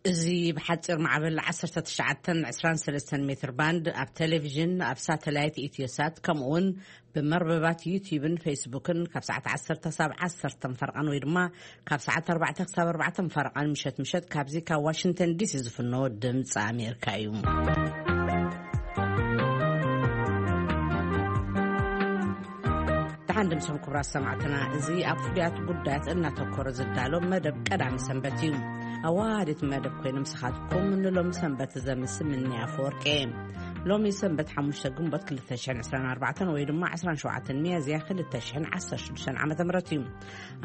እዚ ብሓፂር ማዕበል ዓሰርተ ትሽዓተ ዕስራን ሰለስተን ሜትር ባንድ ኣብ ቴሌቪዥን፣ ኣብ ሳተላይት ኢትዮሳት፣ ከምኡ እውን ብመርበባት ዩቲዩብን ፌስቡክን ካብ ሰዓት ዓሰርተ ክሳብ ዓሰርተ ፈረቓን ወይ ድማ ካብ ሰዓት ኣርባዕተ ክሳብ ኣርባዕተ ፈረቓን ምሸት ምሸት ካብዚ ካብ ዋሽንግተን ዲሲ ዝፍኖ ድምፂ ኣሜሪካ እዩ። ደሓን ድምሶም ክቡራት ሰማዕትና፣ እዚ ኣብ ፍሉያት ጉዳያት እናተኮረ ዝዳሎ መደብ ቀዳሚ ሰንበት እዩ። ኣዋሃዲት መደብ ኮይነ ምሳኻትኩም ንሎም ሰንበት ዘምስ ምንያ ኣፈወርቂ። ሎሚ ሰንበት ሓሙሽተ ግንቦት ክልተ ሽሕን ዕስራን ኣርባዕተን ወይ ድማ ዕስራን ሸውዓተን ሚያዝያ ክልተ ሽሕን ዓሰርተ ሽዱሽተን ዓመተ ምህረት እዩ።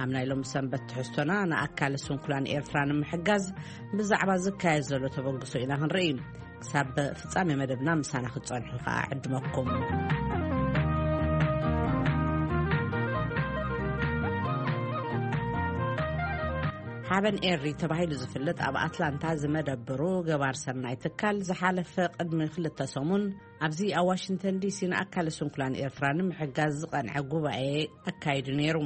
ኣብ ናይ ሎም ሰንበት ትሕዝቶና ንኣካል ስንኩላን ኤርትራ ንምሕጋዝ ብዛዕባ ዝካየድ ዘሎ ተበግሶ ኢና ክንርኢ። ክሳብ ፍጻሜ መደብና ምሳና ክትጸንሑ ከኣ ዕድመኩም። ሓበን ኤሪ ተባሂሉ ዝፍለጥ ኣብ ኣትላንታ ዝመደብሩ ገባር ሰናይ ትካል ዝሓለፈ ቅድሚ ክልተ ሰሙን ኣብዚ ኣብ ዋሽንግተን ዲሲ ንኣካል ስንኩላን ኤርትራ ንምሕጋዝ ዝቐንዐ ጉባኤ ኣካይዱ ነይሩ።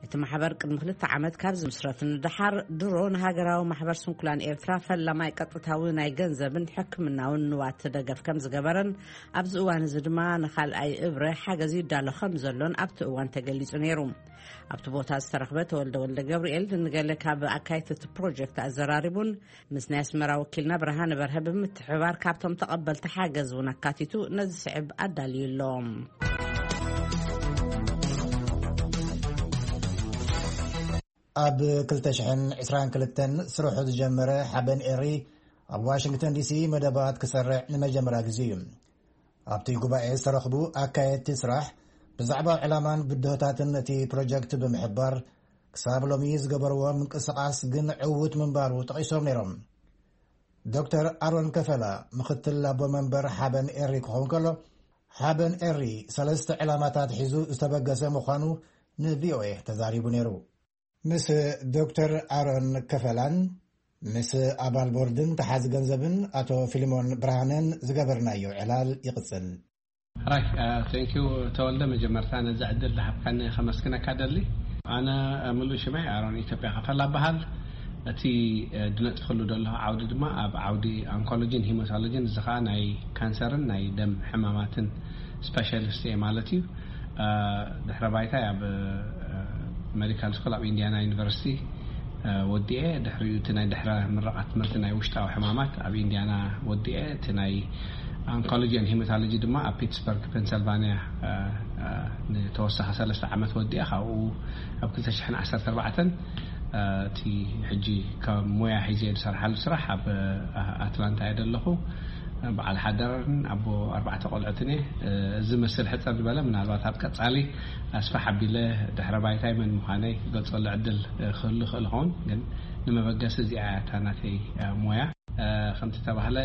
እቲ ማሕበር ቅድሚ ክልተ ዓመት ካብ ዝምስረት ንደሓር ድሮ ንሃገራዊ ማሕበር ስንኩላን ኤርትራ ፈላማይ ቀጥታዊ ናይ ገንዘብን ሕክምናውን ንዋት ደገፍ ከም ዝገበረን ኣብዚ እዋን እዚ ድማ ንኻልኣይ እብረ ሓገዝ ይዳሎ ከም ዘሎን ኣብቲ እዋን ተገሊጹ ነይሩ። ኣብቲ ቦታ ዝተረኽበ ተወልደ ወልደ ገብርኤል ንገለ ካብ ኣካየድቲ እቲ ፕሮጀክት ኣዘራሪቡን ምስ ናይ ኣስመራ ወኪልና ብርሃነ በርሀ ብምትሕብባር ካብቶም ተቐበልቲ ሓገዝ እውን ኣካቲቱ ነዚ ስዕብ ኣዳልዩ ኣሎ። ኣብ ክልተ ሽሕን ዕስራን ክልተን ስርሑ ዝጀመረ ሓበን ኤሪ ኣብ ዋሽንግተን ዲሲ መደባት ክሰርዕ ንመጀመርያ ግዜ እዩ። ኣብቲ ጉባኤ ዝተረኽቡ ኣካየድቲ ስራሕ ብዛዕባ ዕላማን ብድሆታትን እቲ ፕሮጀክት ብምሕባር ክሳብ ሎሚ ዝገበርዎ ምንቅስቓስ ግን ዕዉት ምንባሩ ጠቒሶም ነይሮም። ዶክተር ኣሮን ከፈላ ምኽትል ኣቦ መንበር ሓበን ኤሪ ክኸውን ከሎ፣ ሓበን ኤሪ ሰለስተ ዕላማታት ሒዙ ዝተበገሰ ምዃኑ ንቪኦኤ ተዛሪቡ ነይሩ። ምስ ዶክተር ኣሮን ከፈላን ምስ ኣባል ቦርድን ተሓዚ ገንዘብን ኣቶ ፊልሞን ብርሃነን ዝገበርናዮ ዕላል ይቕጽል። ራይ፣ ቴንኪዩ ተወልደ፣ መጀመርታ ነዚ ዕድል ዝሃብካኒ ከመስግነካ ደሊ። ኣነ፣ እ፣ ምሉእ ሽመይ ኣሮን ኢትዮጵያ ከፈላ በሃል። እቲ፣ እ፣ ድነጥፍሉ ደለኹ ዓውዲ ድማ ኣብ ዓውዲ ኣንኮሎጂን ሂማቶሎጂን፣ እዚ ኸኣ ናይ ካንሰርን ናይ ደም ሕማማትን ስፔሻሊስት እየ ማለት እዩ። እ፣ ድሕረ ባይታይ ኣብ፣ እ፣ ሜዲካል ስኩል ኣብ ኢንዲያና ዩኒቨርሲቲ፣ እ፣ ወዲኤ፣ ድሕሪኡ እቲ ናይ ድሕረ ምረቓ ትምህርቲ ናይ ውሽጣዊ ሕማማት ኣብ ኢንዲያና ወዲኤ፣ እቲ ናይ ኣንኮሎጂ ን ሂማቶሎጂ ድማ ኣብ ፒትስበርግ ፔንሰልቫንያ፣ እ፣ እ፣ ንተወሳኺ ሰለስተ ዓመት ወዲኤ፣ ካብኡ ኣብ ክልተ ሽሕን ዓሰርተ ኣርባዕተን፣ እ፣ እቲ ሕጂ ከም ሞያ ሒዘ ዝሰርሓሉ ስራሕ ኣብ፣ እ፣ ኣትላንታ እየ ዘለኹ። በዓል ሓዳርን ኣቦ ኣርባዕተ ቆልዑትን እየ። እዚ መስል ሕጽር ዝበለ፣ ምናልባት ኣብ ቀጻሊ ኣስፍሕ ኣቢለ ድሕረ ባይታይ መን ምዃነይ ክገልጸሉ ዕድል ክህሉ ይኽእል ይኸውን፣ ግን ንመበገሲ እዚኣ እያ እታ ናተይ ሞያ። ከምቲ ተባህለ፣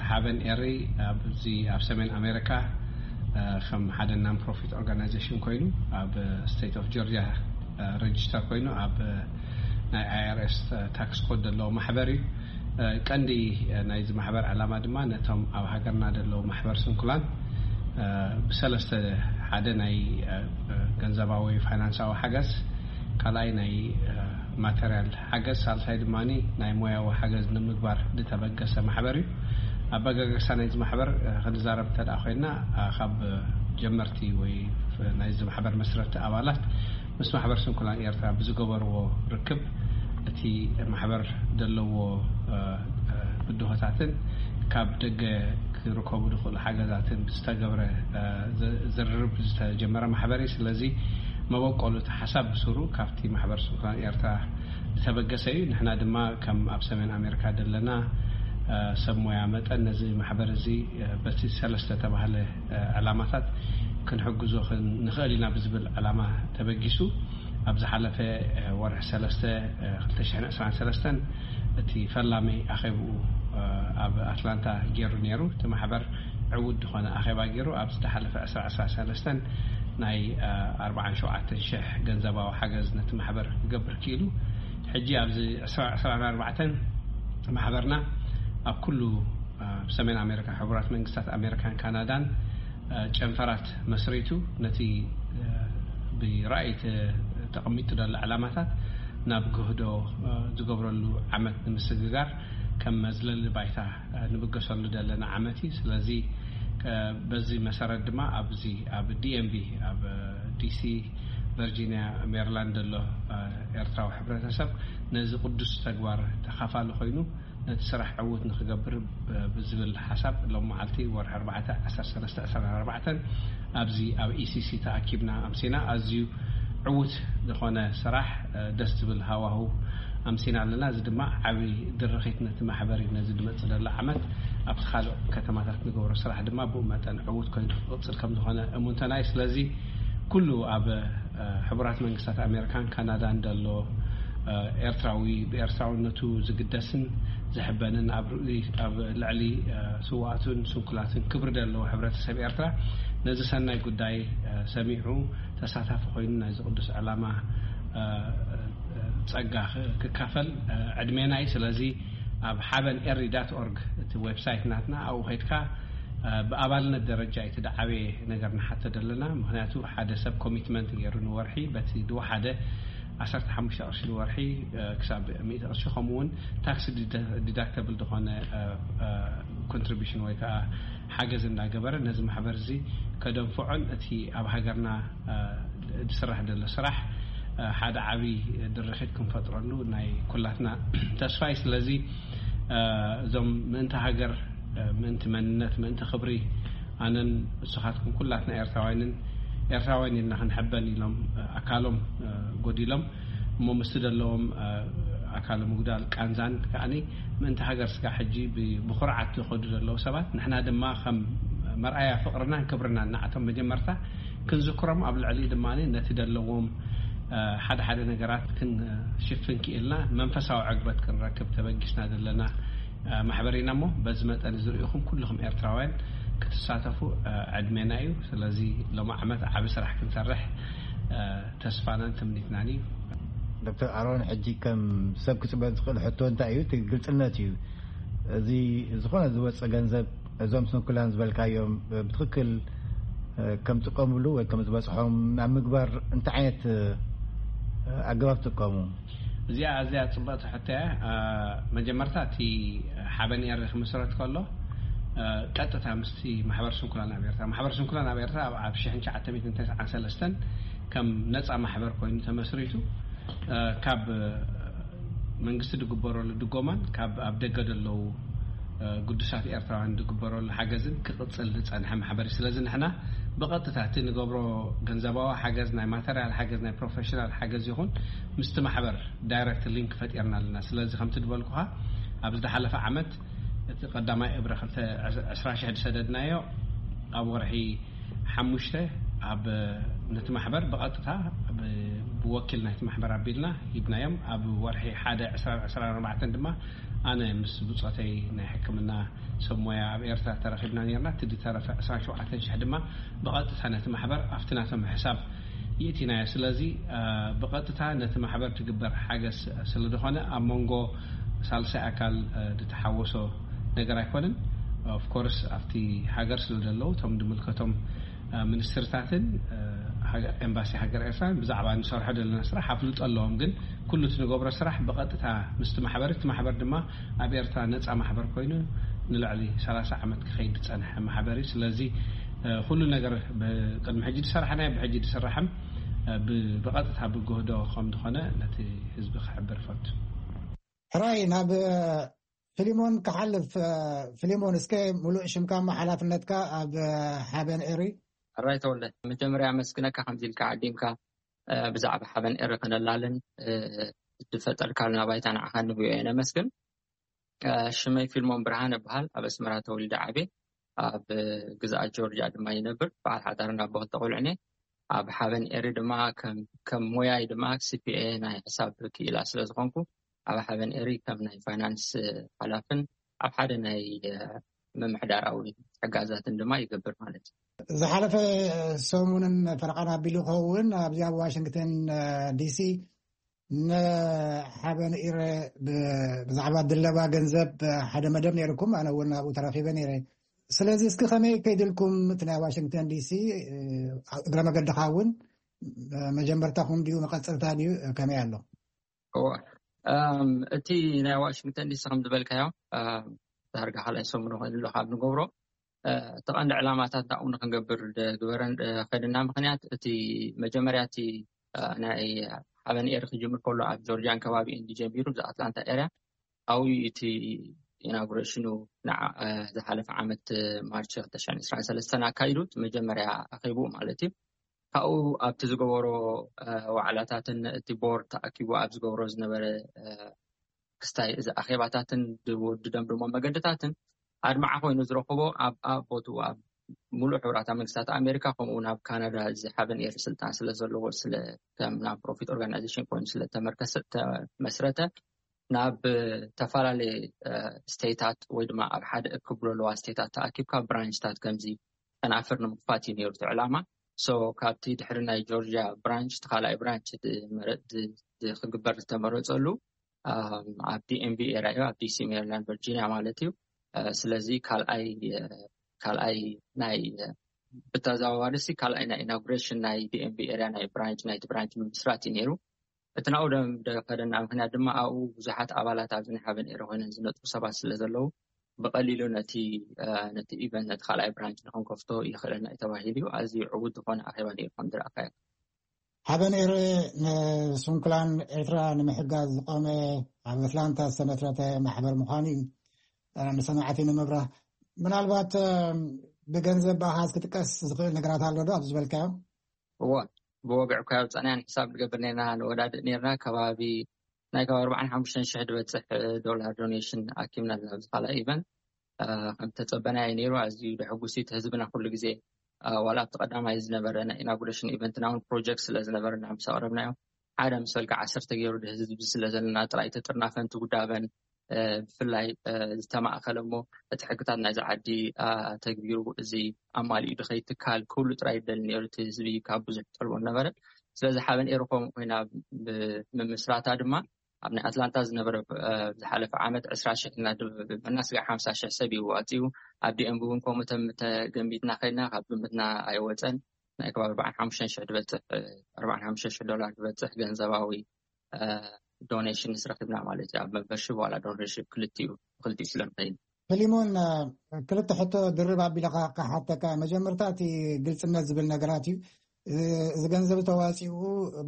ሓበን ኤሪ ኣብዚ ኣብ ሰሜን ኣሜሪካ ከም ሓደ non profit organization ኮይኑ ኣብ ስቴት ኦፍ ጆርጂያ ረጅስተር ኮይኑ ኣብ ናይ ኣይ ኣር ኤስ ታክስ ኮድ ዘለዎ ማሕበር እዩ። ቀንዲ ናይዚ ማሕበር ዕላማ ድማ ነቶም ኣብ ሃገርና ዘለዉ ማሕበር ስንኩላን ብሰለስተ፣ ሓደ ናይ ገንዘባዊ ፋይናንሳዊ ሓገዝ፣ ካልኣይ ናይ ማተርያል ሓገዝ፣ ሳልሳይ ድማ ናይ ሞያዊ ሓገዝ ንምግባር ዝተበገሰ ማሕበር እዩ። ኣበጋገሳ ናይዚ ማሕበር ክንዛረብ እንተ ደኣ ኮይና፣ ካብ ጀመርቲ ወይ ናይዚ ማሕበር መስረቲ ኣባላት ምስ ማሕበር ስንኩላን ኤርትራ ብዝገበርዎ ርክብ፣ እቲ ማሕበር ዘለዎ፣ እ፣ እ፣ ብድሆታትን ካብ ደገ ክርከቡ ዝኽእሉ ሓገዛትን ብዝተገብረ፣ እ፣ ዝ-፣ ዝርርብ ዝተጀመረ ማሕበር እዩ። ስለዚ መበቆሉ እቲ ሓሳብ ብስሩ ካብቲ ማሕበር ስንኩላን ኤርትራ ዝተበገሰ እዩ። ንሕና ድማ ከም ኣብ ሰሜን ኣሜሪካ ዘለና፣ እ፣ ሰብ ሞያ መጠን ነዚ ማሕበር እዚ፣ እ፣ በቲ ሰለስተ ተባህለ፣ እ፣ ዕላማታት ክንሕግዞ ክን-፣ ንኽእል ኢና ብዝብል ዕላማ ተበጊሱ ኣብ ዝሓለፈ፣ እ፣ ወርሒ ሰለስተ፣ እ፣ ክልተ ሽሕን ዕስራን ሰለስተን እቲ ፈላሚ ኣኼብኡ፣ እ፣ ኣብ ኣትላንታ ገይሩ ነይሩ። እቲ ማሕበር ዕዉት ዝኾነ ኣኼባ ገይሩ ኣብ ዝተሓለፈ ዕስራ ዕስራን ሰለስተን ናይ፣ እ፣ ኣርባዓን ሸውዓተን ሽሕ ገንዘባዊ ሓገዝ ነቲ ማሕበር ክገብር ክኢሉ። ሕጂ ኣብዚ ዕስራ ዕስራን ኣርባዕተን ማሕበርና ኣብ ኩሉ፣ እ፣ ኣብ ሰሜን ኣሜሪካ፣ ሕቡራት መንግስታት ኣሜሪካን ካናዳን፣ እ፣ ጨንፈራት መስሪቱ ነቲ፣ እ፣ ብራእይ ተ-፣ ተቐሚጡ ዘሎ ዕላማታት ናብ ግህዶ፣ እ፣ ዝገብረሉ ዓመት ንምስግጋር ከም መዝለሊ ባይታ ንብገሰሉ ዘለና ዓመት እዩ። ስለዚ በዚ መሰረት ድማ ኣብዚ ኣብ ዲኤምቪ፣ ኣብ ዲሲ፣ ቨርጂኒያ፣ ሜሪላንድ ዘሎ ኤርትራዊ ሕብረተሰብ ነዚ ቅዱስ ተግባር ተኻፋሊ ኮይኑ ነቲ ስራሕ ዕዉት ንክገብር ብዝብል ሓሳብ ሎም መዓልቲ ወርሒ ኣርባዕተ ዓሰርተ ሰለስተ ዕስራን ኣርባዕተን ኣብዚ ኣብ ኢሲሲ ተኣኪብና ኣምሲና። ኣዝዩ ዕዉት ዝኾነ ስራሕ፣ ደስ ዝብል ሃዋሁ ኣምሲና ኣለና። እዚ ድማ ዓቢ ድርኺት ነቲ ማሕበር እዩ። ነዚ ዝመጽእ ዘሎ ዓመት ኣብቲ ካልእ ከተማታት ንገብሮ ስራሕ ድማ ብኡ መጠን ዕዉት ኮይኑ ክቕጽል ከም ዝኾነ እሙንተና እዩ። ስለዚ ኩሉ ኣብ ሕቡራት መንግስታት ኣሜሪካን ካናዳን ዘሎ ኤርትራዊ ብኤርትራውነቱ ዝግደስን ዝሕበንን ኣብ ልዕሊ ስውኣቱን ስንኩላትን ክብሪ ዘለዎ ሕብረተሰብ ኤርትራ ነዚ ሰናይ ጉዳይ ሰሚዑ ተሳታፊ ኮይኑ ናይዚ ቅዱስ ዕላማ ጸጋ ክካፈል ዕድሜና እዩ። ስለዚ ኣብ ሓበን ኤሪ ዳት ኦርግ እቲ ዌብሳይት ናትና ኣብኡ ከድካ ብኣባልነት ደረጃ እቲ ደዓበየ ነገር ንሓተ ዘለና። ምክንያቱ ሓደ ሰብ ኮሚትመንት ገይሩ ንወርሒ በቲ ዝወሓደ ዓሰርተ ሓሙሽተ ቅርሺ ንወርሒ ክሳብ ሚእቲ ቅርሺ፣ ከምኡ እውን ታክስ ዲዳክተብል ዝኾነ ኮንትሪቢሽን ወይ ከዓ ሓገዝ እንዳገበረ ነዚ ማሕበር እዚ ከደንፍዖን እቲ ኣብ ሃገርና ዝስራሕ ዘሎ ስራሕ ሓደ ዓብዪ ድርኺት ክንፈጥረሉ ናይ ኩላትና ተስፋ እዩ። ስለዚ እዞም ምእንቲ ሃገር፣ ምእንቲ መንነት፣ ምእንቲ ክብሪ ኣነን ንስኻትኩም ኩላትና ኤርትራውያንን ኤርትራውያን ኢልና ክንሕበን ኢሎም ኣካሎም ጎዲሎም እሞ ምስቲ ዘለዎም ኣካል ምጉዳል ቃንዛን ከዓኒ ምእንቲ ሃገር ስጋ ሕጂ ብኩርዓት ዝኸዱ ዘለዉ ሰባት ንሕና ድማ ከም መርኣያ ፍቕርናን ክብርናን ንዓቶም መጀመርታ ክንዝክሮም ኣብ ልዕሊ ድማ ነቲ ዘለዎም ሓደ ሓደ ነገራት ክንሽፍን ክኢልና መንፈሳዊ ዕግበት ክንረክብ ተበጊስና ዘለና ማሕበር ኢና እሞ በዚ መጠን እዚ ርኢኹም ኩልኹም ኤርትራውያን ክትሳተፉ ዕድሜና እዩ። ስለዚ ሎም ዓመት ዓቢ ስራሕ ክንሰርሕ ተስፋናን ትምኒትናን እዩ። ዶክተር ኣሮን፣ ሕጂ ከም ሰብ ክጽበ ዝኽእል ሕቶ እንታይ እዩ? እቲ ግልጽነት እዩ። እዚ ዝኾነ ዝወፀ ገንዘብ እዞም ስንኩላን ዝበልካዮም ብትኽክል ከም ጥቀምሉ ወይ ከም ዝበፅሖም ናብ ምግባር እንታይ ዓይነት ኣገባብ ትጥቀሙ? እዚኣ ኣዝያ ፅብቕቲ ሕቶ እያ። መጀመርታ እቲ ሓበን ኤሪ ክምስረት ከሎ ቀጥታ ምስቲ ማሕበር ስንኩላን ኣብ ኤርትራ፣ ማሕበር ስንኩላን ኣብ ኤርትራ ኣብ ሽሕን ትሽዓተ ሚእትን ተስዓን ሰለስተን ከም ነፃ ማሕበር ኮይኑ ተመስሪቱ ካብ መንግስቲ ዝግበረሉ ድጎማን ካብ ኣብ ደገ ዘለዉ ግዱሳት ኤርትራውያን ዝግበረሉ ሓገዝን ክቕፅል ዝፀንሐ ማሕበር እዩ። ስለዚ ንሕና ብቐጥታ እቲ ንገብሮ ገንዘባዊ ሓገዝ፣ ናይ ማተርያል ሓገዝ፣ ናይ ፕሮፌሽናል ሓገዝ ይኹን ምስቲ ማሕበር ዳይረክት ሊንክ ፈጢርና ኣለና። ስለዚ ከምቲ ዝበልኩኻ ኣብ ዝሓለፈ ዓመት እቲ ቀዳማይ እብረ ክልተ ዕስራ ሽሕ ዝሰደድናዮ ኣብ ወርሒ ሓሙሽተ ኣብ ነቲ ማሕበር ብቐጥታ ብወኪል ናይቲ ማሕበር ኣቢልና ሂብናዮም። ኣብ ወርሒ ሓደ ዕስራን ዕስራን ኣርባዕተን ድማ ኣነ ምስ ብፆተይ ናይ ሕክምና ሰብ ሞያ ኣብ ኤርትራ ተረኺብና ነርና። እቲ ዝተረፈ ዕስራን ሸውዓተን ሽሕ ድማ ብቐጥታ ነቲ ማሕበር ኣብቲ ናቶም ሕሳብ ይእቲናዮ። ስለዚ ብቐጥታ ነቲ ማሕበር ትግበር ሓገዝ ስለዝኾነ ኣብ መንጎ ሳልሳይ ኣካል ዝተሓወሶ ነገር ኣይኮነን። ኦፍኮርስ ኣብቲ ሃገር ስለ ዘለዉ እቶም ዝምልከቶም ሚኒስትርታትን ኤምባሲ ሃገር ኤርትራን ብዛዕባ ንሰርሖ ዘለና ስራሕ ኣፍልጦ ኣለዎም። ግን ኩሉ እቲ ንገብሮ ስራሕ ብቐጥታ ምስቲ ማሕበር፣ እቲ ማሕበር ድማ ኣብ ኤርትራ ነፃ ማሕበር ኮይኑ ንልዕሊ ሰላሳ ዓመት ክኸይድ ዝፀንሐ ማሕበር እዩ። ስለዚ ኩሉ ነገር ብቅድሚ ሕጂ ዝሰራሕናዮ ብሕጂ ዝስራሕን ብቐጥታ ብግህዶ ከም ዝኾነ ነቲ ህዝቢ ክሕብር እፈቱ። ሕራይ ናብ ፊሊሞን ክሓልፍ። ፊሊሞን፣ እስከ ሙሉእ ሽምካ እሞ ሓላፍነትካ ኣብ ሓበን ኤሪ። ሕራይ ተወልደ፣ መጀመርያ ኣመስግነካ ከምዚ ኢልካ ዓዲምካ ብዛዕባ ሓበን ኤሪ ክነላልን ዝፈጠርካልና ባይታ ንዓኻ ንብዮ እየ ነመስግን። ሽመይ ፊልሞን ብርሃን እበሃል። ኣብ ኣስመራ ተወሊደ ዓብየ። ኣብ ግዝኣት ጆርጅያ ድማ ይነብር። በዓል ሓዳርን ኣቦ ክልተ ቆልዑን እየ። ኣብ ሓበን ኤሪ ድማ ከም ሞያይ ድማ ሲፒኤ ናይ ሕሳብ ክኢላ ስለ ዝኾንኩ ኣብ ሓበን ኤሪ ከም ናይ ፋይናንስ ሓላፍን ኣብ ሓደ ናይ ምምሕዳራዊ ሕጋዛትን ድማ ይገብር ማለት እዩ። ዝሓለፈ ሰሙንን ፈረቓን ኣቢሉ ክኸውን ኣብዚ ኣብ ዋሽንግተን ዲሲ ንሓበን ኤሪ ብዛዕባ ድለባ ገንዘብ ሓደ መደብ ነይርኩም፣ ኣነ እውን ኣብኡ ተረኺበ ነይረ። ስለዚ እስኪ ከመይ ከይድልኩም እቲ ናይ ዋሽንግተን ዲሲ እግረ መገድኻ እውን መጀመርታኹም ድዩ መቐፀልታ ድዩ ከመይ ኣሎ? እወ፣ እቲ ናይ ዋሽንግተን ዲሲ ከም ዝበልካዮ ዳርጋ ካልኣይ ሰሙን ኮይኑ ኣሎ ካብ ንገብሮ እቲ ቀንዲ ዕላማታት ናብኡ ንክንገብር ዝግበረን ከድና ምክንያት፣ እቲ መጀመርያ እቲ ናይ ሓበን ኤር ክጅምር ከሎ ኣብ ጆርጂያን ከባቢኡን ጀሚሩ፣ እዚ ኣትላንታ ኤርያ ኣብኡ እቲ ኢናጉሬሽኑ ዝሓለፈ ዓመት ማርች ክልተ ሽሕን ዕስራን ሰለስተን ኣካይዱ፣ መጀመርያ ኣኺቡ ማለት እዩ። ካብኡ ኣብቲ ዝገበሮ ዋዕላታትን እቲ ቦርድ ተኣኪቡ ኣብ ዝገብሮ ዝነበረ ክስታይ እዚ ኣኼባታትን ዝወድደም ድማ መገድታትን ኣድማዓ ኮይኑ ዝረኽቦ ኣብ ኣብ ቦትኡ ኣብ ሙሉእ ሕብራታ መንግስታት ኣሜሪካ፣ ከምኡ እውን ኣብ ካናዳ እዚ ሓበን ኤር ስልጣን ስለ ዘለዎ፣ ስለ ከም ናን ፕሮፊት ኦርጋናይዜሽን ኮይኑ ስለ ተመርከሰ ተመስረተ፣ ናብ ዝተፈላለየ ስቴታት ወይ ድማ ኣብ ሓደ እክብ ለለዋ ስቴታት ተኣኪብካ ብራንችታት ከምዚ ከናፍር ንምክፋት እዩ ነይሩ እቲ ዕላማ። ሶ ካብቲ ድሕሪ ናይ ጆርጂያ ብራንች እቲ ካልኣይ ብራንች ክግበር ዝተመረፀሉ ኣብ ዲኤምቪ ኤርያ እዩ፣ ኣብ ዲሲ፣ ሜሪላንድ፣ ቨርጂኒያ ማለት እዩ። ስለዚ ካልኣይ ካልኣይ ናይ ብተዘዋዋሪ ሲ ካልኣይ ናይ ኢናጉሬሽን ናይ ዲኤምቪ ኤርያ ናይ ብራንች ናይቲ ብራንች ምስራት እዩ ነይሩ። እቲ ናብኡ ደም ደኸደና ምክንያት ድማ ኣብኡ ብዙሓት ኣባላት ኣብዚ ናይ ሓበን ኤረ ኮይነን ዝነጥፉ ሰባት ስለ ዘለዉ ብቐሊሉ ነቲ ነቲ ኢቨንት ነቲ ካልኣይ ብራንች ንክንከፍቶ ይኽእለና እዩ ተባሂሉ እዩ። ኣዝዩ ዕዉት ዝኾነ ኣኼባ ነይሩ ከም ዝረኣካዮ። ሓበን ኤረ ንስንኩላን ኤርትራ ንምሕጋዝ ዝቆመ ኣብ ኣትላንታ ዝተመስረተ ማሕበር ምዃኑ እዩ ንሰማዕቲ ንምብራህ። ምናልባት ብገንዘብ ብኣሃዝ ክጥቀስ ዝኽእል ነገራት ኣሎ ዶ ኣብዚ ዝበልካዮ? እወ፣ ብወግዒ እኳ ኣውፃእናዮ ንሕሳብ ንገብር ነርና ንወዳድእ ነርና ከባቢ ናይ ከባቢ ኣርባዓን ሓሙሽተን ሽሕ ዝበፅሕ ዶላር ዶኔሽን ኣኪብና ኣለና ኣብዚ ካልኣይ ኢቨንት። ከም ተፀበናዮ ነይሩ። ኣዝዩ ደሕጉስ እቲ ህዝብና ኩሉ ግዜ ዋላ ኣብቲ ቀዳማይ ዝነበረ ናይ ኢናጉሬሽን ኢቨንትና እውን ፕሮጀክት ስለ ዝነበረና ምስ ኣቕረብናዮ ሓደ ምስ በልካ ዓሰርተ ገይሩ ህዝቢ ስለ ዘለና ጥራይ ተጥርናፈን ትጉዳበን ብፍላይ ዝተማእከለ እሞ እቲ ሕግታት ናይዚ ዓዲ ተግቢሩ እዚ ኣማሊኡ ድኸይ ትካል ክብሉ ጥራይ ይደሊ ነይሩ። እቲ ህዝቢ ካብ ብዙሕ ጠልቦ ነበረ። ስለዚ ሓበን ኤርኮም ኮይና ብምምስራታ ድማ ኣብ ናይ ኣትላንታ ዝነበረ ዝሓለፈ ዓመት ዕስራ ሽሕ እና ብመናስጋ ሓምሳ ሽሕ ሰብ እዩ ዋፂኡ። ኣብ ዲኤምቢ እውን ከምኡ ተም ተገሚትና ከድና ካብ ግምትና ኣይወፀን። ናይ ከባቢ ኣርባዓን ሓሙሽተን ሽሕ ዝበፅሕ ኣርባዓን ሓሙሽተ ሽሕ ዶላር ዝበፅሕ ገንዘባዊ ዶኔሽን ዝረክብና ማለት እዩ። ኣብ መበርሽብ ዋላ ዶኔሽን ክልቲኡ ክልቲኡ ስለምኸይን። ፊሊሞን፣ ክልተ ሕቶ ድርብ ኣቢለ ክሓተካ። መጀመርታ እቲ ግልፅነት ዝብል ነገራት እዩ። እዚ ገንዘብ ተዋፂኡ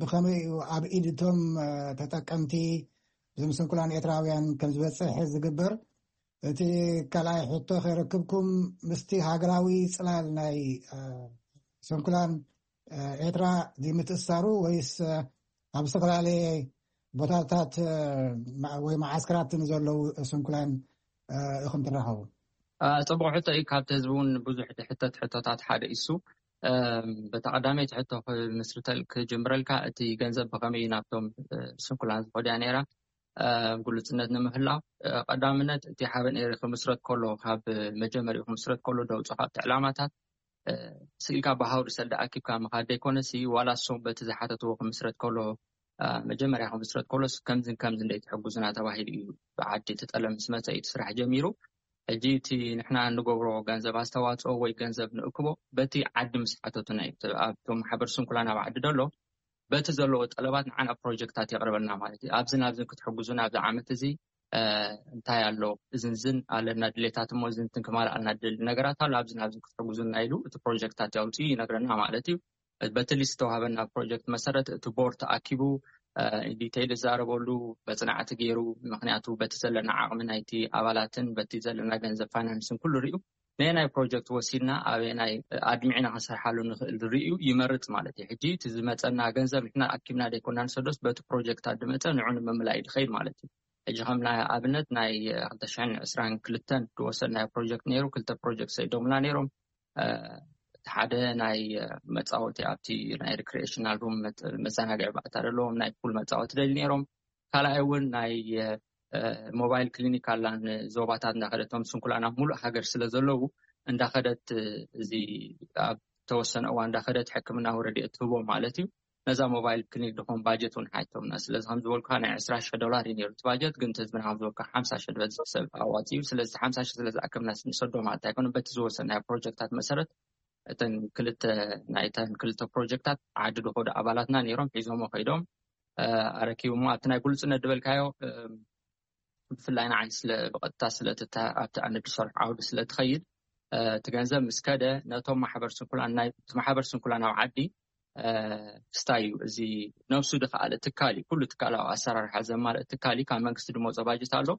ብኸመይ እዩ ኣብ ኢድ እቶም ተጠቀምቲ፣ እዞም ስንኩላን ኤርትራውያን ከም ዝበፅሕ ዝግበር? እቲ ካልኣይ ሕቶ ከረክብኩም ምስቲ ሃገራዊ ፅላል ናይ ስንኩላን ኤርትራ ምትእሳሩ ወይስ ኣብ ዝተፈላለየ ቦታታት ወይ መዓስከራት ንዘለዉ ስንኩላን ኢኹም ትራኸቡ? ፅቡቅ ሕቶ እዩ። ካብቲ ህዝቢ እውን ብዙሕ ድሕተት ሕቶታት ሓደ እሱ በታ ቀዳመይቲ ሕቶ ክምስርተል ክጅምረልካ፣ እቲ ገንዘብ ብኸመይ ናብቶም ስንኩላን ዝኸድያ ነይራ? ግሉጽነት ንምህላው ቀዳምነት እቲ ሓበን ኤሪ ክምስረት ከሎ ካብ መጀመሪኡ ክምስረት ከሎ ደውፅኦ ካብቲ ዕላማታት ስኢልካ ብሃውሪ ሰልዲ ኣኪብካ ምኻድ ዘይኮነሲ ዋላ እሶም በቲ ዝሓተትዎ ክምስረት ከሎ መጀመርያ ክምስረት ከሎስ ከምዝን ከምዚ እንደይ ትሕጉዝና ተባሂሉ እዩ ብዓዲ ተጠለም ምስ መፀ እዩ እቲ ስራሕ ጀሚሩ። ሕጂ እቲ ንሕና እንገብሮ ገንዘብ ኣስተዋፅኦ ወይ ገንዘብ ንእክቦ በቲ ዓዲ ምስ ሓተቱና እዩ ኣብቶም ማሕበር ስንኩላን ኣብ ዓዲ ደሎ በቲ ዘለዎ ጠለባት ንዓና ፕሮጀክታት የቕርበልና ማለት እዩ። ኣብዝን ኣብዝን ክትሕጉዙን ኣብዚ ዓመት እዚ እንታይ ኣሎ እዝንዝን ኣለና ድሌታት እሞ እዝንትን ክማልኣልና ድል ነገራት ኣሎ ኣብዝን ኣብዝን ክትሕጉዙና ኢሉ እቲ ፕሮጀክታት ያውፅኡ ይነግረና ማለት እዩ። በቲ ሊስት ዝተዋሃበና ፕሮጀክት መሰረት እቲ ቦርድ ተኣኪቡ ዲቴይል ዝዛረበሉ መፅናዕቲ ገይሩ ምክንያቱ በቲ ዘለና ዓቕሚ ናይቲ ኣባላትን በቲ ዘለና ገንዘብ ፋይናንስን ኩሉ ሪኡ ነየናይ ፕሮጀክት ወሲድና ኣበየናይ ኣድሚዕና ክንሰርሓሉ ንኽእል ርእዩ ይመርፅ ማለት እዩ። ሕጂ እቲ ዝመፀና ገንዘብ ንሕና ኣኪብና ዘይኮና ንሰዶስ በቲ ፕሮጀክታት ዝመፀ ንዑ ንምምላእ እዩ ዝኸይድ ማለት እዩ። ሕጂ ከም ናይ ኣብነት ናይ ክልተ ሽሕን ዕስራን ክልተን ዝወሰድናዮ ፕሮጀክት ነይሩ። ክልተ ፕሮጀክት ሰይዶምና ነይሮም። እቲ ሓደ ናይ መፃወቲ ኣብቲ ናይ ሪክሪኤሽናል ሩም መዘናግዒ ባእታ ዘለዎም ናይ ፑል መፃወቲ ደሊ ነይሮም። ካልኣይ እውን ናይ ሞባይል ክሊኒክ ኣላ ንዞባታት እንዳኸደቶም ስንኩላን ኣብ ሙሉእ ሃገር ስለ ዘለዉ እንዳኸደት እዚ ኣብ ተወሰነ እዋን እንዳኸደት ሕክምናዊ ረድኤት ትህቦም ማለት እዩ። ነዛ ሞባይል ክሊኒክ ድኾን ባጀት እውን ሓይቶምና ስለዚ ከም ዝበልኩካ ናይ ዕስራ ሽሕ ዶላር እዩ ነይሩ እቲ ባጀት ግን ህዝብና ከም ዝበልካ ሓምሳ ሽሕ ዝበፅሕ ሰብ ኣዋፂኡ ስለዚ ሓምሳ ሽሕ ስለ ዝኣከብና ንሰዶ ማለት ኣይኮነ በቲ ዝወሰናዮ ፕሮጀክታት መሰረት እተን ክልተ ናይተን ክልተ ፕሮጀክታት ዓዲ ድኾዱ ኣባላትና ነይሮም ሒዞሞ ከይዶም ኣረኪቡ እሞ ኣብቲ ናይ ግሉፅነት ዝበልካዮ ብፍላይ ንዓይ ስለ ብቐጥታ ስለ ኣብቲ ኣነ ዝሰርሖ ዓውዲ ስለ ትኸይድ እቲ ገንዘብ ምስ ከደ ነቶም ማሕበር ስንኩላን ናይ ማሕበር ስንኩላን ኣብ ዓዲ ክስታይ እዩ። እዚ ነብሱ ድኸኣለ ትካል እዩ። ኩሉ ትካላዊ ኣሰራርሓ ዘማልእ ትካል እዩ። ካብ መንግስቲ ድመፆ ባጀት ኣሎ።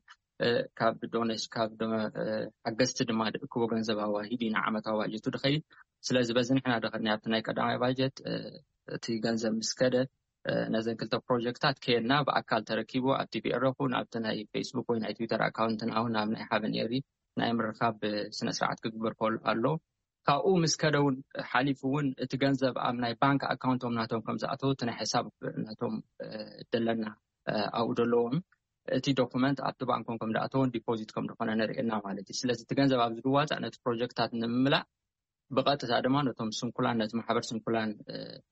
ካብ ዶኔሽን ካብ ሓገዝቲ ድማ ድእክቦ ገንዘብ ኣዋሂድ ኢና ዓመታዊ ባጀቱ ድኸይድ። ስለዚ በዚ ንሕና ድኸድና ኣብቲ ናይ ቀዳማይ ባጀት እቲ ገንዘብ ምስ ከደ ነዘን ክልተ ፕሮጀክታት ከየና ብኣካል ተረኪቡ ኣብቲ ቢኤረኹን ኣብቲ ናይ ፌስቡክ ወይ ናይ ትዊተር ኣካውንትን ኣሁን ኣብ ናይ ሓበን ኤሪ ናይ ምርካብ ስነ ስርዓት ክግበር ከሎ ኣሎ። ካብኡ ምስ ከደ እውን ሓሊፉ እውን እቲ ገንዘብ ኣብ ናይ ባንክ ኣካውንቶም ናቶም ከም ዝኣተው እቲ ናይ ሕሳብ ናቶም ደለና ኣብኡ ዘለዎም እቲ ዶኩመንት ኣብቲ ባንኮም ከም ዝኣተውን ዲፖዚት ከም ዝኾነ ነርእየና ማለት እዩ። ስለዚ እቲ ገንዘብ ኣብዚ ዝዋፃእ ነቲ ፕሮጀክታት ንምምላእ ብቐጥታ ድማ ነቶም ስንኩላን ነቲ ማሕበር ስንኩላን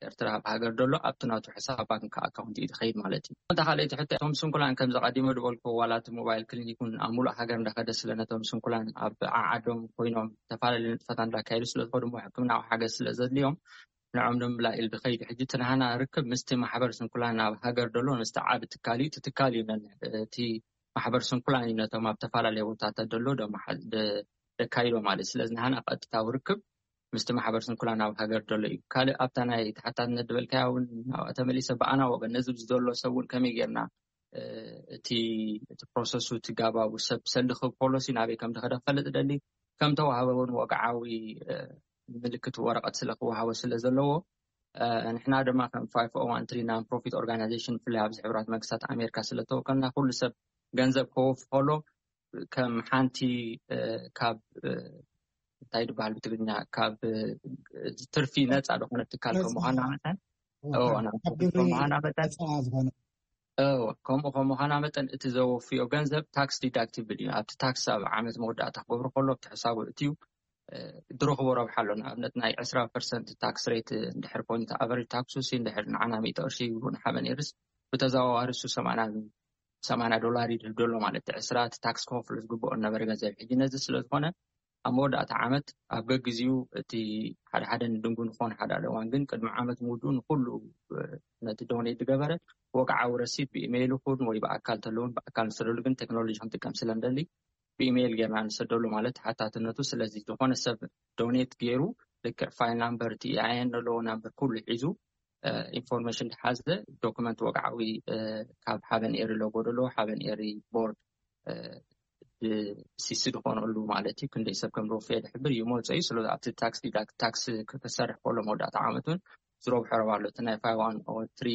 ኤርትራ ኣብ ሃገር ዘሎ ኣብቲ ናቱ ሕሳብ ባንክ ኣካውንት እዩ ዝኸይድ ማለት እዩ። እንተ ካልኣይቲ ሕቶ እቶም ስንኩላን ከም ዘቐዲመ ዝበልኩ ዋላ እቲ ሞባይል ክሊኒክ እውን ኣብ ሙሉእ ሃገር እንዳኸደ ስለ ነቶም ስንኩላን ኣብ ዓዓዶም ኮይኖም ዝተፈላለዩ ንጥፈታት እንዳካየዱ ስለ ዝኾኑ እሞ ሕክምናዊ ሓገዝ ስለ ዘድልዮም ንዖም ንምምላእ ኢሉ ዝኸይድ። ሕጂ እቲ ናህና ርክብ ምስቲ ማሕበር ስንኩላን ኣብ ሃገር ዘሎ ምስቲ ዓቢ ትካል እዩ። እቲ ትካል እዩ ነን እቲ ማሕበር ስንኩላን እዩ ነቶም ኣብ ተፈላለየ ቦታታት ዘሎ ደካይዶ ማለት እዩ። ስለዚ ናህና ቀጥታዊ ርክብ ምስቲ ማሕበር ስንኩላን ኣብ ሃገር ዘሎ እዩ። ካልእ ኣብታ ናይ ተሓታትነት ዝበልካያ እውን ናብኣ ተመሊሰ ብኣና ወገን ነዚ ዘሎ ሰብ እውን ከመይ ጌርና እቲ እቲ ፕሮሰሱ እቲ ጋባቡ ሰብ ሰልዲ ክብ ፖሊሲ ናበይ ከም ዝኸደ ክፈልጥ ደሊ ከም ተዋህበ እውን ወግዓዊ ምልክት ወረቐት ስለ ክወሃቦ ስለ ዘለዎ ንሕና ድማ ከም ፋይፍ ኦ ዋን ትሪ ናን ፕሮፊት ኦርጋናይዜሽን ብፍላይ ኣብዚ ሕቡራት መንግስታት ኣሜሪካ ስለ ተወከልና ኩሉ ሰብ ገንዘብ ከወፍ ከሎ ከም ሓንቲ ካብ እንታይ ዝበሃል ብትግርኛ ካብ ትርፊ ነፃ ዝኾነ ትካል ከም ምዃና መጠን ከምኡ ከም ምዃና መጠን እቲ ዘወፍዮ ገንዘብ ታክስ ዲዳክቲብል እዩ። ኣብቲ ታክስ ኣብ ዓመት መወዳእታ ክገብሩ ከሎ ኣብቲ ሕሳቡ እትዩ ድረኽቦ ረብሓ ኣሎ። ንኣብነት ናይ ዕስራ ፐርሰንት ታክስ ሬት እንድሕር ኮይኑ ኣቨሬጅ ታክሱ ሲ እንድሕር ንዓና ሚእቲ ቅርሺ ይብሉ ንሓበን ኤርስ ብተዘዋዋሪ እሱ ሰማንያ ዶላር ይድህብ ዘሎ ማለት እዩ። ዕስራ እቲ ታክስ ክኸፍሎ ዝግብኦ ነበረ ገንዘብ ሕጂ ነዚ ስለ ዝኾነ ኣብ መወዳእታ ዓመት ኣብ ገግዚኡ እቲ ሓደ ሓደ ንድንጉ ንኾን ሓደ ሓደ እዋን ግን ቅድሚ ዓመት ምውድኡ ንኩሉ ነቲ ዶኔት ዝገበረ ወግዓዊ ረሲት ብኢሜይል ይኹን ወይ ብኣካል ተለውን ብኣካል ንሰደሉ ግን ቴክኖሎጂ ክንጥቀም ስለ ንደሊ ብኢሜይል ጌርና ንሰደሉ ማለት ሓታትነቱ። ስለዚ ዝኾነ ሰብ ዶኔት ገይሩ ልክዕ ፋይል ናምበር እቲ ኢኣይኤን ዘለዎ ናምበር ኩሉ ሒዙ ኢንፎርሜሽን ዝሓዘ ዶክመንት ወግዓዊ ካብ ሓበን ኤሪ ሎጎ ዘለዎ ሓበን ኤሪ ቦርድ ብሲሲ ዝኾነሉ ማለት እዩ። ክንደይ ሰብ ከም ዝወፈየ ዝሕብር ይመፀ እዩ። ስለ ኣብቲ ታክስ ዲዳክት ታክስ ክሰርሕ ከሎ መወዳእታ ዓመት እውን ዝረብሖ ረብ ኣሎ። እቲ ናይ ፋይቭ ዋን ኦ ትሪ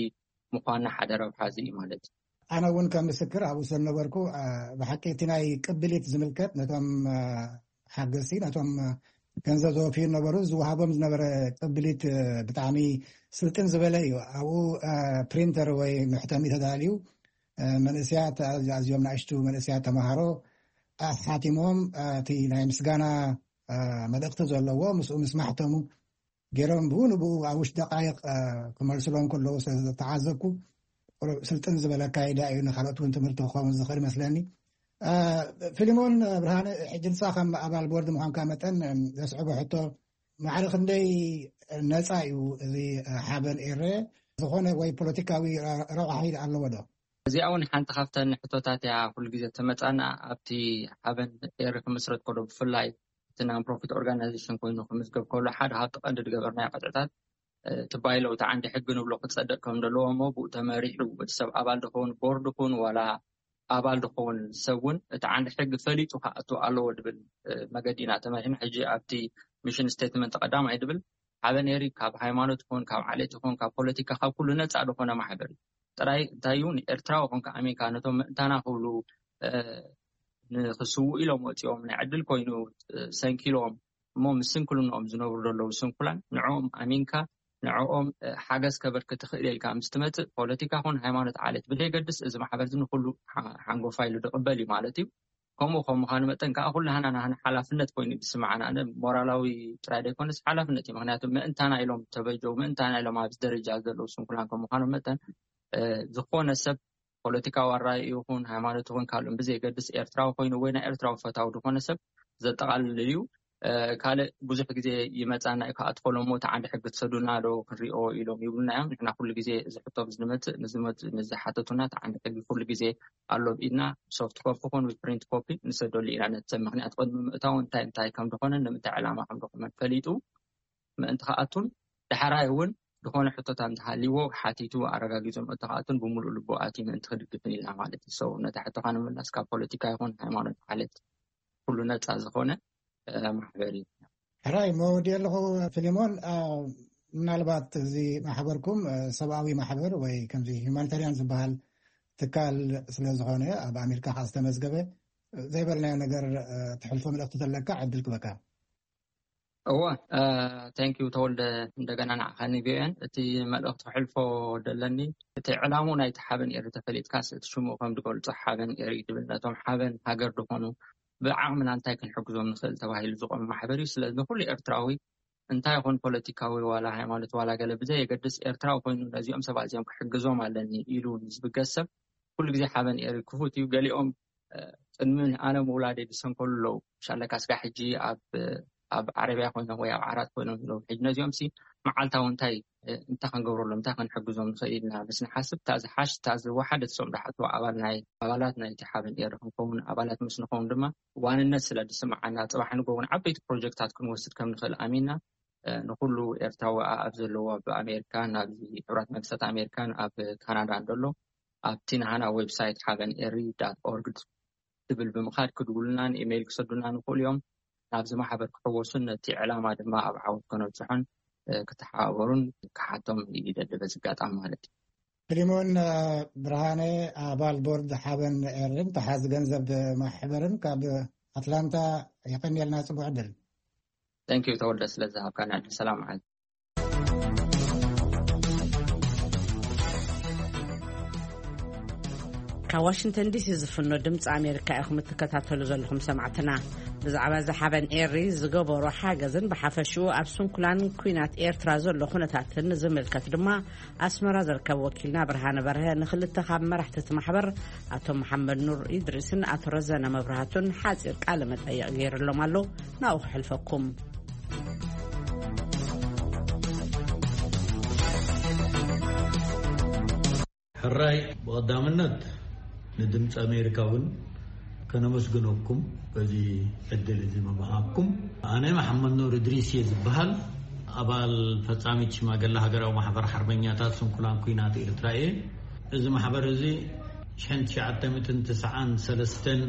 ምዃንና ሓደ ረብሓ እዚ እዩ ማለት እዩ። ኣነ እውን ከም ምስክር ኣብኡ ስለ ነበርኩ ብሓቂ እቲ ናይ ቅብሊት ዝምልከት ነቶም ሓገዝቲ ነቶም ገንዘብ ዘወፍዩ ነበሩ ዝወሃቦም ዝነበረ ቅብሊት ብጣዕሚ ስልጥን ዝበለ እዩ። ኣብኡ ፕሪንተር ወይ መሕተሚ ተዳልዩ መንእስያት ኣዝዮም ንኣሽቱ መንእስያት ተምሃሮ ኣሓቲሞም እቲ ናይ ምስጋና መልእኽቲ ዘለዎ ምስኡ ምስ ማሕተሙ ገይሮም ብኡ ንብኡ ኣብ ውሽጢ ደቃይቕ ክመልስሎም ከለዉ ስለዝተዓዘብኩ ስልጥን ዝበለ ኣካይዳ እዩ። ንካልኦት እውን ትምህርቲ ክኸውን ዝኽእል ይመስለኒ። ፊልሞን ብርሃነ፣ ሕጂ ንሳ ከም ኣባል ቦርድ ምዃንካ መጠን ዘስዕቦ ሕቶ ማዕረ ክንደይ ነፃ እዩ እዚ ሓበን ኤረ? ዝኾነ ወይ ፖለቲካዊ ረብሓ ኣለዎ ዶ? እዚኣ እውን ሓንቲ ካብተን ሕቶታት እያ ኩሉ ግዜ ተመፃና ኣብቲ ሓበን ኤሪ ክምስረት ከሎ ብፍላይ እቲ ናን ፕሮፊት ኦርጋናይዜሽን ኮይኑ ክምዝገብ ከሎ ሓደ ካብቲ ቀንዲ ዝገበርናዮ ቅጥዕታት እቲ ባይሎ እቲ ዓንዲ ሕጊ ንብሎ ክፀደቅ ከም ዘለዎ እሞ ብኡ ተመሪሑ እቲ ሰብ ኣባል ዝኸውን ቦርድ ይኹን ዋላ ኣባል ዝኸውን ሰብ እውን እቲ ዓንዲ ሕጊ ፈሊጡ ክኣቱ ኣለዎ ዝብል መገዲ ኢና ተመሪሕና። ሕጂ ኣብቲ ሚሽን ስቴትመንት ቀዳማይ ዝብል ሓበን ኤሪ ካብ ሃይማኖት ይኹን ካብ ዓሌት ይኹን ካብ ፖለቲካ ካብ ኩሉ ነፃ ዝኾነ ማሕበር እዩ። ጥራይ እንታይ እዩ ንኤርትራዊ ኮንካ ኣሚንካ ነቶም ምእንታና ክብሉ ንክስውኡ ኢሎም ወፂኦም ናይ ዕድል ኮይኑ ሰንኪሎም እሞ ምስ ስንክልንኦም ዝነብሩ ዘለዉ ስንኩላን ንዕኦም ኣሚንካ ንዕኦም ሓገዝ ከበርክ ትኽእል ኢልካ ምስ ትመፅእ ፖለቲካ ኹን ሃይማኖት ዓሌት ብደይገድስ እዚ ማሕበር እዚ ንኩሉ ሓንጎፋ ኢሉ ዝቕበል እዩ ማለት እዩ። ከምኡ ከም ምዃኑ መጠን ከዓ ኩላህና ናህና ሓላፍነት ኮይኑ ዝስምዓና ኣነ ሞራላዊ ጥራይ ዘይኮነስ ሓላፍነት እዩ። ምክንያቱ ምእንታና ኢሎም ተበጀው ምእንታና ኢሎም ኣብዚ ደረጃ ዘለዉ ስንኩላን ከም ምዃኑ መጠን ዝኾነ ሰብ ፖለቲካዊ ኣራይ ይኹን ሃይማኖት ይኹን ካልኦም ብዘይገድስ ኤርትራዊ ኮይኑ ወይ ናይ ኤርትራዊ ፈታዊ ዝኾነ ሰብ ዘጠቓልል እዩ። ካልእ ብዙሕ ግዜ ይመፃና እዩ። ከኣትኮሎም ሞ ተዓንዲ ሕጊ ትሰዱና ዶ ክንሪኦ ኢሎም ይብሉና እዮም። ንሕና ኩሉ ግዜ እዚ ሕቶ ዝመፅእ ንዝመፅእ ንዝሓተቱና ተዓንዲ ሕጊ ኩሉ ግዜ ኣሎ ብኢድና። ሶፍት ኮፒ ኮን ፕሪንት ኮፒ ንሰደሉ ኢና። ነቲ ሰብ ምክንያት ቅድሚ ምእታው እንታይ እንታይ ከም ዝኾነ ንምንታይ ዕላማ ከም ዝኾነ ፈሊጡ ምእንቲ ከኣቱን ዳሕራይ እውን ዝኾነ ሕቶታት እንተሃልይዎ ሓቲቱ ኣረጋጊጹ ምእንቲ ከኣቱን ብምሉእ ልቡ ኣትዩ ምእንቲ ክድግፍን ኢልና ማለት እዩ። So ነታ ሕቶኻ ንምምላስ ካብ ፖለቲካ ይኹን ሃይማኖት ሓለት ኩሉ ነፃ ዝኾነ ማሕበር እዩ። ሕራይ መወዲ ኣለኹ። ፊሊሞን፣ ምናልባት እዚ ማሕበርኩም ሰብኣዊ ማሕበር ወይ ከምዚ ሁማኒታሪያን ዝበሃል ትካል ስለ ዝኾነ ኣብ ኣሜሪካ ከዓ ዝተመዝገበ ዘይበልናዮ ነገር ትሕልፎ መልእክቲ ዘለካ ዕድል ክበካ። እወ፣ thank you ተወልደ፣ እንደገና ንዓኻኒ ቪኦኤን። እቲ መልእኽቲ ክሕልፎ ደለኒ፣ እቲ ዕላሙ ናይቲ ሓበን ኤሪ ተፈሊጥካስ እቲ ሽሙ ከም ዝገልጾ ሓበን ኤሪ ድብል ነቶም ሓበን ሃገር ዝኾኑ ብዓቕምና እንታይ ክንሕግዞም ንኽእል ተባሂሉ ዝቆመ ማሕበር እዩ። ስለዚ ንኩሉ ኤርትራዊ እንታይ ይኹን ፖለቲካዊ ዋላ ሃይማኖት ዋላ ገለ ብዘየገድስ ኤርትራዊ ኮይኑ ነዚኦም ሰባት እዚኦም ክሕግዞም ኣለኒ ኢሉ ንዝብገስ ሰብ ኩሉ ግዜ ሓበን ኤሪ ክፉት እዩ። ገሊኦም ቅድሚ ኣነ ምውላደይ ዝሰንከሉ ኣለዉ። ሻለካ ስጋ ሕጂ ኣብ ኣብ ዓረብያ ኮይኖም ወይ ኣብ ዓራት ኮይኖም ኣለዉ። ሕጂ ነዚኦም ሲ መዓልታዊ እንታይ እንታይ ክንገብረሎም እንታይ ክንሕግዞም ንኽእል ኢልና ምስ ንሓስብ እታ ዝሓሽ እታ ዝወሓደት ሶም ዳሓቱ ኣባል ናይ ኣባላት ናይቲ ሓበን ኤሪ ክንከውን ኣባላት ምስ ንኸውን ድማ ዋንነት ስለ ዝስምዓና ጽባሕ ንጎውን ዓበይቲ ፕሮጀክታት ክንወስድ ከም ንኽእል ኣሚንና ንኩሉ ኤርትራዊ ኣብ ዘለዎ ኣብ ኣሜሪካን ኣብ ሕቡራት መንግስታት ኣሜሪካን ኣብ ካናዳ እንደሎ ኣብቲ ናህና ዌብሳይት ሓበን ኤሪ ዳት ኦርግ ትብል ብምኻድ ክድውሉናን ኢሜይል ክሰዱና ንኽእሉ እዮም። ናብዚ ማሕበር ክሕወሱን ነቲ ዕላማ ድማ ኣብ ዓወት ከነብፅሖን ክተሓባበሩን ክሓቶም ይደሊ በዚ ኣጋጣሚ ማለት እዩ። ፊሊሞን ብርሃነ ኣባል ቦርድ ሓበን ኤርን ተሓዚ ገንዘብ ማሕበርን ካብ ኣትላንታ የቐንየልና። ጽቡቅ ዕድል። Thank you ተወልደ ስለ ዝሃብካና ዕድል። ሰላም ዓል ካብ ዋሽንግተን ዲሲ ዝፍኖ ድምፂ ኣሜሪካ ኢኹም እትከታተሉ ዘለኹም ሰማዕትና። ብዛዕባ እዚ ሓበን ኤሪ ዝገበሮ ሓገዝን ብሓፈሽኡ ኣብ ስንኩላን ኩናት ኤርትራ ዘሎ ኩነታትን ዝምልከት ድማ ኣስመራ ዝርከብ ወኪልና ብርሃነ በርሀ ንክልተ ካብ መራሕቲ እቲ ማሕበር ኣቶ መሓመድ ኑር ኢድሪስን ኣቶ ረዘነ መብራህቱን ሓፂር ቃለ መጠይቕ ገይርሎም ኣሎ። ናብኡ ክሕልፈኩም። ሕራይ ብቐዳምነት ንድምፂ ኣሜሪካ እውን ከነመስግነኩም በዚ ዕድል እዚ ምምሃብኩም። ኣነ መሓመድ ኑር እድሪስ እየ ዝበሃል። ኣባል ፈጻሚት ሽማግለ ሃገራዊ ማሕበር ሓርበኛታት ስንኩላን ኩናት ኤርትራ እየ። እዚ ማሕበር እዚ ሽሕን ትሽዓተ ሚእትን ትስዓን ሰለስተን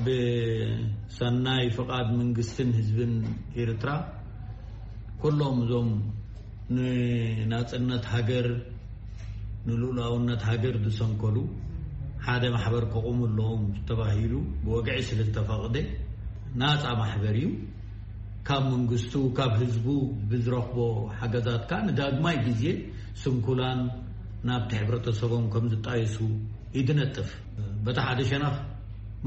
ብሰናይ ፍቓድ መንግስትን ህዝብን ኤርትራ ኩሎም እዞም ንናጽነት ሃገር ንልኡላውነት ሃገር ዝሰንከሉ ሓደ ማሕበር ከቑሙ ኣለዎም ተባሂሉ ብወግዒ ስለ ዝተፈቕደ ናጻ ማሕበር እዩ። ካብ መንግስቱ ካብ ህዝቡ ብዝረኽቦ ሓገዛት ከኣ ንዳግማይ ግዜ ስንኩላን ናብቲ ሕብረተሰቦም ከም ዝጣየሱ እዩ ዝነጥፍ። በቲ ሓደ ሸነኽ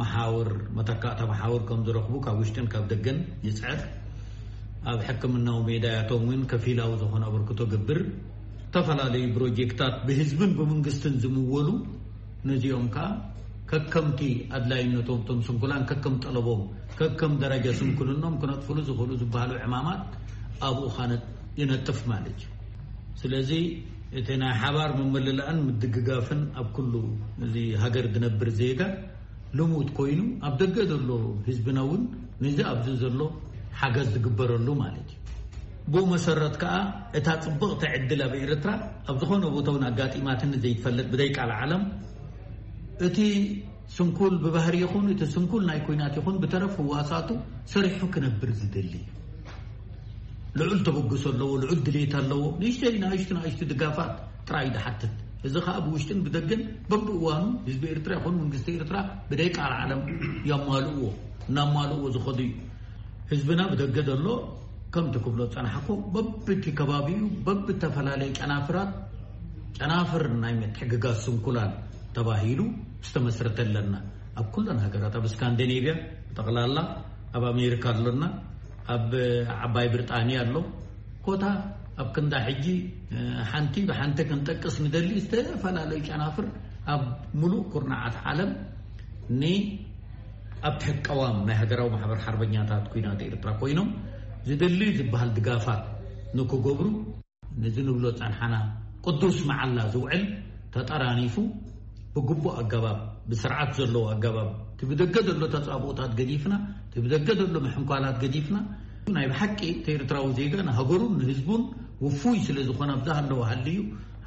መሓውር መተካእታ መሓውር ከም ዝረኽቡ ካብ ውሽጥን ካብ ደገን ይፅዕር። ኣብ ሕክምናዊ ሜዳያቶም እውን ከፊላዊ ዝኾነ ኣበርክቶ ገብር። ዝተፈላለዩ ፕሮጀክታት ብህዝብን ብመንግስትን ዝምወሉ ነዚኦም ከዓ ከከምቲ ኣድላይነቶም እቶም ስንኩላን ከከም ጠለቦም ከከም ደረጃ ስንኩልኖም ክነጥፍሉ ዝኽእሉ ዝበሃሉ ዕማማት ኣብኡ ኻነ ይነጥፍ ማለት እዩ። ስለዚ እቲ ናይ ሓባር ምምልላእን ምድግጋፍን ኣብ ኩሉ እዚ ሃገር ዝነብር ዜጋ ልሙድ ኮይኑ ኣብ ደገ ዘሎ ህዝብና እውን ነዚ ኣብዚ ዘሎ ሓገዝ ዝግበረሉ ማለት እዩ። ብኡ መሰረት ከዓ እታ ፅብቕቲ ዕድል ኣብ ኤርትራ ኣብ ዝኾነ ቦታ እውን ኣጋጢማትኒ ዘይትፈልጥ ብደይ ቃል ዓለም እቲ ስንኩል ብባህሪ ይኹን እቲ ስንኩል ናይ ኩናት ይኹን ብተረፍ ህዋሳቱ ሰሪሑ ክነብር ዝደሊ ልዑል ተበግሶ ኣለዎ፣ ልዑል ድሌት ኣለዎ። ንእሽተይ ንእሽቱ ንእሽቱ ድጋፋት ጥራይ ዝሓትት። እዚ ከዓ ብውሽጥን ብደገን በብእዋኑ ህዝቢ ኤርትራ ይኹን መንግስቲ ኤርትራ ብደይ ቃል ዓለም የማልእዎ እናማልእዎ ዝኸዱ እዩ። ህዝብና ብደገ ዘሎ ከምቲ ክብሎ ዝፀናሕኩ በብቲ ከባቢኡ በብተፈላለየ ጨናፍራት ጨናፍር ናይ ምትሕግጋዝ ስንኩላን ተባሂሉ ዝተመስረተ ኣለና። ኣብ ኩለን ሃገራት ኣብ ስካንዲኔቪያ ብጠቕላላ ኣብ ኣሜሪካ ኣሎና፣ ኣብ ዓባይ ብሪጣንያ ኣሎ። ኮታ ኣብ ክንዳ ሕጂ ሓንቲ ብሓንቲ ክንጠቅስ ንደሊ ዝተፈላለዩ ጨናፍር ኣብ ሙሉእ ኩርናዓት ዓለም ን ኣብ ትሕቲ ቀዋም ናይ ሃገራዊ ማሕበር ሓርበኛታት ኲናት ኤርትራ ኮይኖም ዝደሊ ዝበሃል ድጋፋት ንክገብሩ፣ ነዚ ንብሎ ጸንሓና ቅዱስ መዓላ ዝውዕል ተጠራኒፉ፣ ብግቡእ ኣገባብ፣ ብስርዓት ዘለዎ ኣገባብ፣ እቲ ብደገ ዘሎ ተጻብኦታት ገዲፍና፣ እቲ ብደገ ዘሎ ምሕንኳላት ገዲፍና፣ ናይ ብሓቂ እቲ ኤርትራዊ ዜጋ ንሃገሩን ንህዝቡን ውፉይ ስለ ዝኾነ፣ ኣብዛ ሃለወ ሃልዩ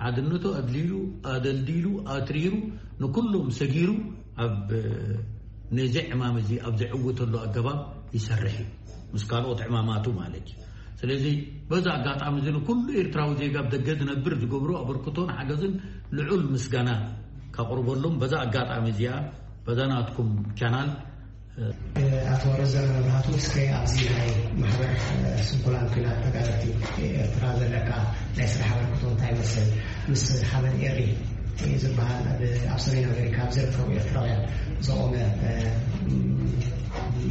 ሓድነቱ ኣድልዩ፣ ኣደልዲሉ፣ ኣትሪሩ፣ ንኩሎም ሰጊሩ፣ ኣብ ነዚ ዕማም እዚ ኣብ ዝዕውተሉ ኣገባብ ይሰርሕ እዩ፣ ምስ ካልኦት ዕማማቱ ማለት እዩ። ስለዚ በዛ ኣጋጣሚ እዚ ንኩሉ ኤርትራዊ ዜጋ ኣብ ደገ ዝነብር ዝገብሮ ኣበርክቶን ሓገዝን ልዑል ምስጋና ከቕርበሎም በዛ ኣጋጣሚ እዚኣ በዛ ናትኩም ቻናል። ኣቶ ረዘነ መብራህቱ፣ እስከ ኣብዚ ናይ ማሕበር ስንኩላን ኲናት ተጋደልቲ ኤርትራ ዘለካ ናይ ስራሕ ኣበርክቶ እንታይ ይመስል? ምስ ሓበን ኤሪ ዝበሃል ኣብ፣ ኣብ ሰሜን ኣሜሪካ ኣብ ዝርከቡ ኤርትራውያን ዝቖመ፣ እ፣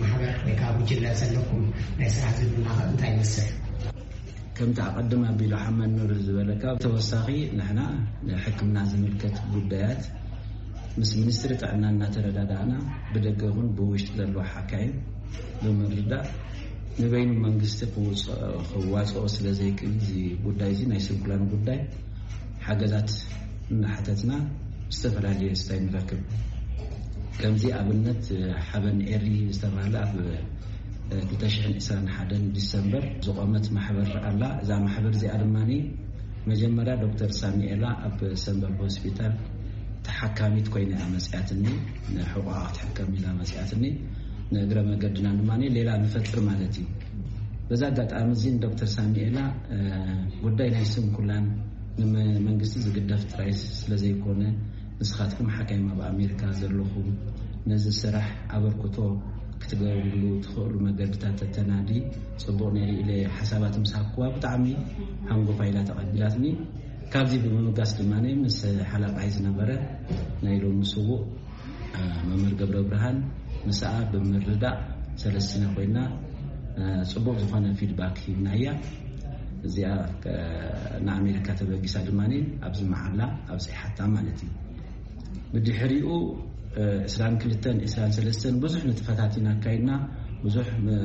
ማሕበር ወይ ከዓ ጉጅለ ዘለኩም ናይ ስራሕ ዝምድና ከ እንታይ ይመስል? ከምቲ ኣቐድም ኣቢሉ ሓመድ ኑር ዝበለካ፣ ተወሳኺ ንሕና ንሕክምና ዝምልከት ጉዳያት ምስ ሚኒስትሪ ጥዕና እናተረዳዳእና፣ ብደገ ይኹን ብውሽጢ ዘለዋ ሓካይም ብምርዳእ፣ ንበይኑ መንግስቲ ክውፅ-፣ ክዋፅኦ ስለ ዘይክእል፣ እዚ ጉዳይ እዚ ናይ ስንኩላን ጉዳይ ሓገዛት እናሓተትና ዝተፈላለየ ስታይ ንረክብ። ከምዚ ኣብነት ሓበን ኤሪ ዝተባህለ ኣብ ክልተ ሽሕን ዕስራን ሓደን ዲሰምበር ዝቖመት ማሕበር ኣላ። እዛ ማሕበር እዚኣ ድማ መጀመርያ ዶክተር ሳሚኤላ ኣብ ሰንበል ሆስፒታል ተሓካሚት ኮይና እያ መፅያትኒ፣ ንሕቑኣ ክትሕከም ኢላ መፅያትኒ። ንእግረ መገድና ድማ ሌላ ንፈጥር ማለት እዩ። በዛ ኣጋጣሚ እዚ ንዶክተር ሳሚኤላ፣ እ፣ ጉዳይ ናይ ስንኩላን ንመንግስቲ ዝግደፍ ጥራይ ስለ ዘይኮነ፣ ንስኻትኩም ሓካይም ኣብ ኣሜሪካ ዘለኹም ነዚ ስራሕ ኣበርክቶ ክትገብርሉ ትኽእሉ መገድታት ተተናዲ ጽቡቕ ነይሩ ኢለ ሓሳባት ምስ ሃብኩዋ፣ ብጣዕሚ ሃንጎፋ ኢላ ተቐቢላትኒ። ካብዚ ብምብጋስ ድማ ምስ ሓለቓይ ዝነበረ ናይ ሎሚ ስዉእ መምህር ገብረ ብርሃን፣ ምስኣ ብምርዳእ ሰለስቲና ኮይና፣ እ፣ ጽቡቕ ዝኾነ ፊድባክ ሂብናያ። እዚኣ፣ እ፣ ንኣሜሪካ ተበጊሳ ድማ ኣብዚ መዓላ ኣብጺሓታ ማለት እዩ። ብድሕሪኡ፣ እ፣ ዕስራን ክልተን፣ ዕስራን ሰለስተን ብዙሕ ንጥፈታት ኢና ኣካይድና። ብዙሕ፣ እ፣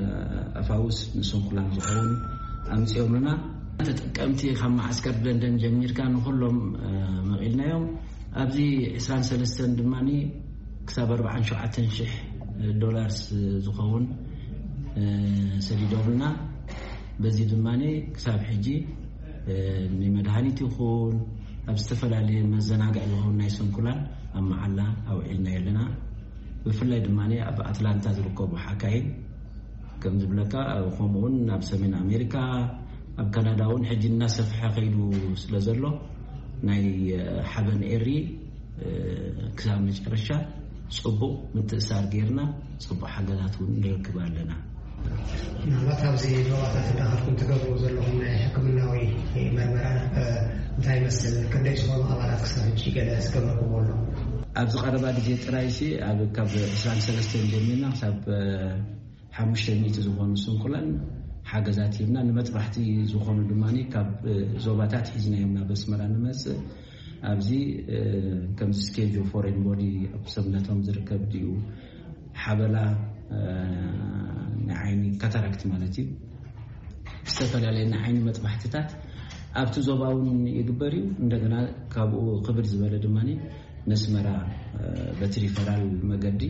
ኣፋውስ ንስንኩላን ዝኸውን ኣምጺኦምልና። ተጠቀምቲ ካብ መዓስከር ለንደን ጀሚርካ ንኹሎም፣ እ፣ መቒልናዮም። ኣብዚ ዕስራን ሰለስተን ድማ ክሳብ ኣርባዓን ሸውዓተን ሽሕ ዶላርስ ዝኸውን፣ እ፣ ሰዲዶምልና። በዚ ድማ ክሳብ ሕጂ፣ እ፣ ንመድሃኒት ይኹን ኣብ ዝተፈላለየ መዘናግዒ ዝኸውን ናይ ስንኩላን ኣብ መዓላ ኣውዒልና ኣለና። ብፍላይ ድማ ኣብ ኣትላንታ ዝርከቡ ሓካይም ከም ዝብለካ፣ ከምኡውን ኣብ ሰሜን ኣሜሪካ፣ ኣብ ካናዳ እውን ሕጂ እናሰፍሐ ከይዱ ስለ ዘሎ፣ ናይ፣ እ፣ ሓበን ኤሪ፣ እ፣ ክሳብ መጨረሻ ጽቡቕ ምትእሳር ጌርና፣ ጽቡቕ ሓገዛት እውን ንረክብ ኣለና። ምናልባት ኣብዚ ዞባታት እንዳኸድኩም ትገብሩ ዘለኹም ናይ ሕክምናዊ መርመራ፣ እ፣ እንታይ ይመስል? ክንደይ ዝኾኑ ኣባላት ክሳብ ሕጂ ገለ ዝገበርኩሞ ኣሎ? ኣብዚ ቀረባ ግዜ ጥራይሲ፣ ኣብ፣ ካብ ዕስራን ሰለስተን ጀሚርና ክሳብ፣ እ፣ ሓሙሽተ ሚእቲ ዝኾኑ ስንኩላን ሓገዛት ሂብና፣ ንመጥባሕቲ ዝኾኑ ድማ ካብ፣ እ፣ ዞባታት ሒዝናዮም ናብ ኣስመራ ንመጽእ። ኣብዚ፣ እ፣ ከምዚ ስኬጅ ፎሬን ቦዲ ኣብ ሰብነቶም ዝርከብ ድዩ፣ ሓበላ፣ እ፣ ናይ ዓይኒ ካታራክት ማለት እዩ፣ ዝተፈላለየ ናይ ዓይኒ መጥባሕትታት ኣብቲ ዞባ እውን ይግበር እዩ። እንደገና ካብኡ ክብድ ዝበለ ድማ ነስመራ፣ እ፣ በቲ ሪፈራል መገዲ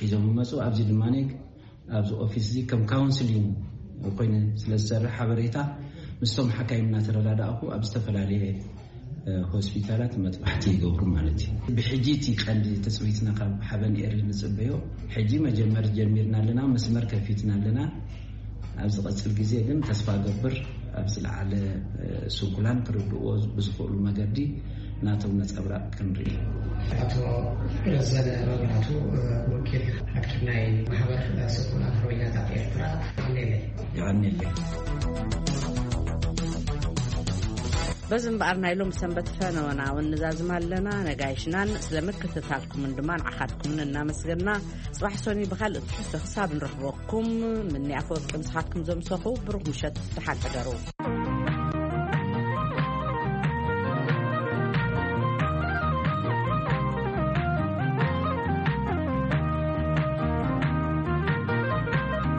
ሒዞም ይመፁ። ኣብዚ ድማ ኣብዚ ኦፊስ እዚ ከም ካውንስሊንግ ኮይኑ ስለ ዝሰርሕ፣ ሓበሬታ ምስቶም ሓካይም እናተረዳዳእኩ ኣብ ዝተፈላለየ፣ እ፣ ሆስፒታላት መጥባሕቲ ይገብሩ ማለት እዩ። ብሕጂ እቲ ቀንዲ ትፅቢትና ካብ ሓበን ኤሪ ንፅበዮ፣ ሕጂ መጀመር ጀሚርና ኣለና፣ መስመር ከፊትና ኣለና። ኣብ ዝቐጽል ግዜ ግን ተስፋ እገብር ኣብ ዝለዓለ፣ እ፣ ስንኩላን ክርድእዎ ብዝኽእሉ መገዲ ናቶም ነጸብራቕ ክንርኢ። ኣቶ ረዘነ መብራህቱ፣ እ፣ ወኪል ሓኪም ናይ ማሕበር ስንኩላን ሓርበኛታት ኤርትራ፣ የቐንየለይ። የቐንየለይ። በዚ እምበኣር ናይ ሎም ሰንበት ፈነወና እውን ንዛዝም ኣለና። ነጋይሽናን ስለ ምክትታልኩምን ድማ ንዓኻትኩምን እናመስገና፣ ጽባሕ ሰኑይ ብኻልእ ትሕዝቶ ክሳብ ንረኽበኩም፣ ምኒ ኣፈወርቂ ምሳኻትኩም ዘምሰኹ፣ ብሩኽ ምሸት፣ ደሓን ሕደሩ።